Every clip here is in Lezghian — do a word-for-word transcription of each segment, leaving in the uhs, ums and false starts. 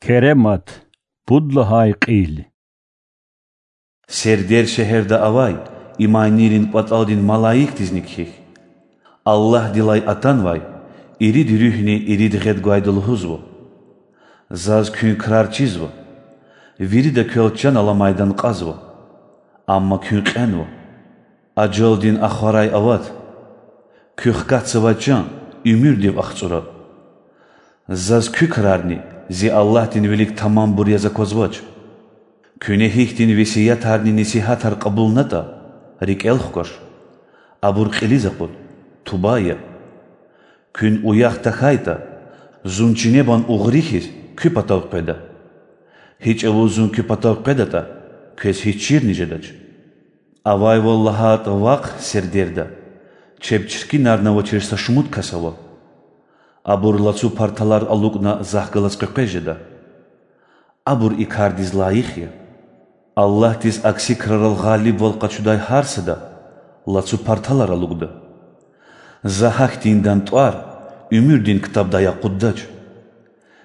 Керемат, пуд лагьай кьил. Сердер шегьерда авай иманийрин кӀватӀалдин малаикдизни кхьихь. Аллагьдилай атанвай ирид руьгьни ирид гъед гвайда лугьузва: Заз куьн крар чизва, вирида квел чан аламайдан кьазва, амма куьн кьенва. Ажалдин ахварай ават, куь хкатзавай чан уьмуьрдив ахцӀура. Заз куь крарни зи Аллагьдин вилик тамамбур яз аквазвач. Куьне гьихьтин весиятарни несигьатар кьабулнатӀа, рикӀел хкваш, абур кьилиз акъуд, туба ая. Куьн уях тахьайтӀа, зун чинебан угъри хьиз куь патав къведа. Гьи чӀавуз зун куь патав къведатӀа, квез гьич чирни жедач. Авайвал лагьайтӀа вахъ сердерда, чеб чиркинарнавачир са шумуд кас ава. Абур лацу парталар алукӀна Захъ галаз къекъвез жеда. Абур и кардиз лайих я. Аллагьдиз акси крарал гъалибвал къачудай гьар сада лацу парталар алукӀда. За гьахьтиндан тӀвар уьмуьрдин ктабдай акъуддач.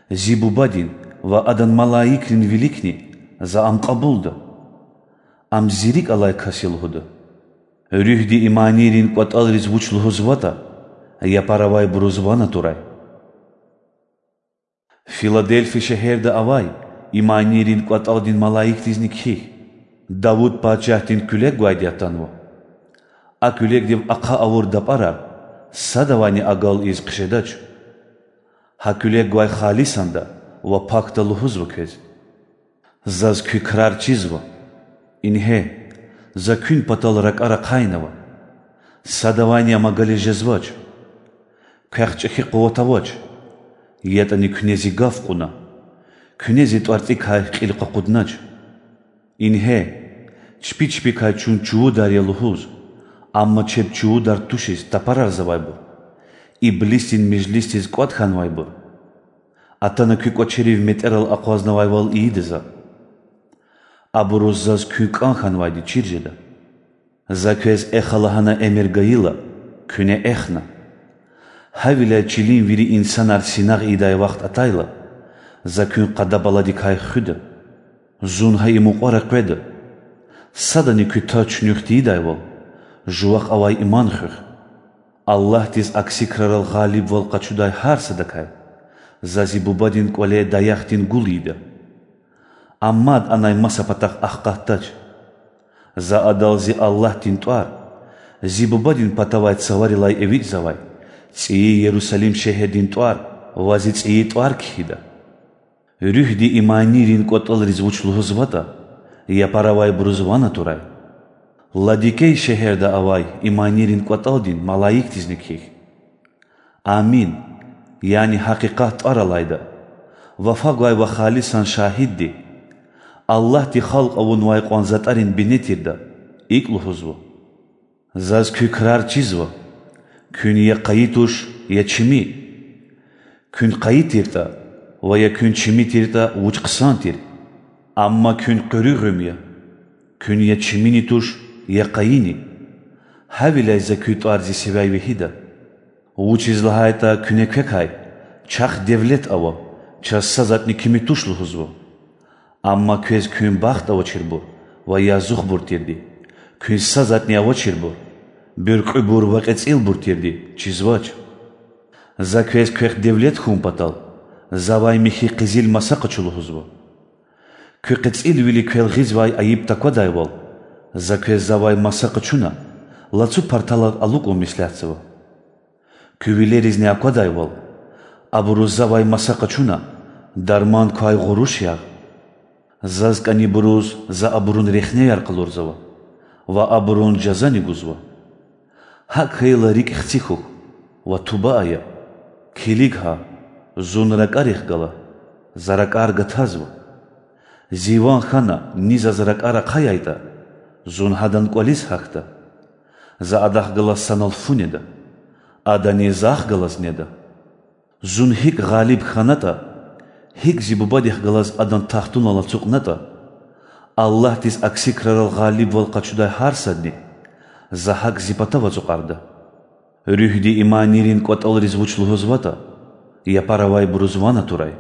Зи Бубадин ва Адан малаикрин виликни За ам кьабулда. Ам зи рикӀ алай кас я лугьуда. Руьгьди иманийрин кӀватӀалриз вуч лугьузватӀа, япар авайбуруз ван атурай. Филадельфи шегьерда авай иманийрин кӀватӀалдин малаикдизни кхьихь: Давуд пачагьдин куьлег гвайди атанва. А куьлегдив ахъа авур дапӀарар садавайни агал ийиз хъжедач. Гьа куьлег гвай халисанда ва пакда лугьузва квез: Заз куь крар чизва. Ингье, За куьн патал ракӀар ахъайнава. Садавайни ам агализ жезвач. Квехъ чӀехи къуват авач, ятӀани куьне Зи гаф кьуна, куьне Зи тӀварцӀикай кьил къакъуднач. Ингье, чпи чпикай чун чувудар я лугьуз, амма чеб чувудар тушиз тапарарзавайбур, иблисдин межлисдиз кӀватӀ хьанвайбур. Атана куь кӀвачерив метӀерал акъвазнавайвал ийида За. Абуруз Заз куьн кӀан хьанвайди чир жеда. За квез эха лагьана эмир гайила, куьне эхна. Гьавиляй чилин вири инсанар синагъ ийидай вахт атайла, За куьн къада-баладикай хуьда. Зун гьа и мукьвара къведа: садани куь таз чуьнуьх тийидайвал, жувахъ авай иман хуьх. Аллагьдиз акси крарал гъалибвал къачудай гьар садакай За Зи Бубадин кӀвале даяхдин гул ийида. Ам мад анай маса патахъ ахкъатдач. За адал Зи Аллагьдин тӀвар, Зи Бубадин патавай цаварилай эвичӀзавай цӀийи Ярусалим шегьердин тӀвар ва Зи цӀийи тӀвар кхьида. Руьгьди иманийрин кӀватӀалриз вуч лугьузватӀа, япар авайбуруз ван атурай. Ладикей шегьерда авай иманийрин кӀватӀалдин малаикдизни кхьихь: Амин, яни Гьакъикъат тӀвар алайда, вафа гвай ва халисан шагьидди, Аллагьди халкь авунвай кьван затӀарин бине тирда, икӀ лугьузва: Заз куь крар чизва, куьн я къайи туш, я чими. Куьн къайи тиртӀа ва я куьн чими тиртӀа, вуч хъсан тир! Амма куьн къуьруьгъуьм я, куьн я чимини туш, я къайини. Гьавиляй За куь тӀвар Зи сивяй вегьида. Вучиз лагьайтӀа куьне квекай: чахъ девлет ава, чаз са затӀни кими туш лугьузва. Амма квез куьн бахт авачирбур ва язухбур тирди, куьн са затӀни авачирбур, буьркьуьбур ва кьецӀилбур тирди чизвач. За квез квехъ девлет хьун патал Завай михьи къизил маса къачу лугьузва. Куь кьецӀилвили квел гъизвай айиб таквадайвал, За квез Завай маса къачуна, лацу парталар алукӀун меслятзава. Куь вилеризни аквадайвал, абуруз Завай маса къачуна, дарман квай гъуруш ягъ. Заз кӀанибуруз За абурун рехнеяр къалурзава ва абурун жазани гузва. ГьакӀ хьайила рикӀ хци хьухь ва туба ая: килиг гьа, Зун ракӀарихъ гала, За ракӀар гатазва. Зи ван хьана ни Заз ракӀар ахъаяйтӀа, Зун гьадан кӀвализ гьахьда. За Адахъ галаз санал фу неда, Адани Захъ галаз неда. Зун гьикӀ гъалиб хьанатӀа, гьикӀ Зи Бубадихъ галаз Адан тахтунал ацукьнатӀа, Аллагьдиз акси крарал гъалибвал къачудай гьар садни За гьакӀ Зи патав ацукьарда. Руьгьди иманийрин кӀватӀалриз вуч лугьузватӀа, япар авайбуруз ван атурай.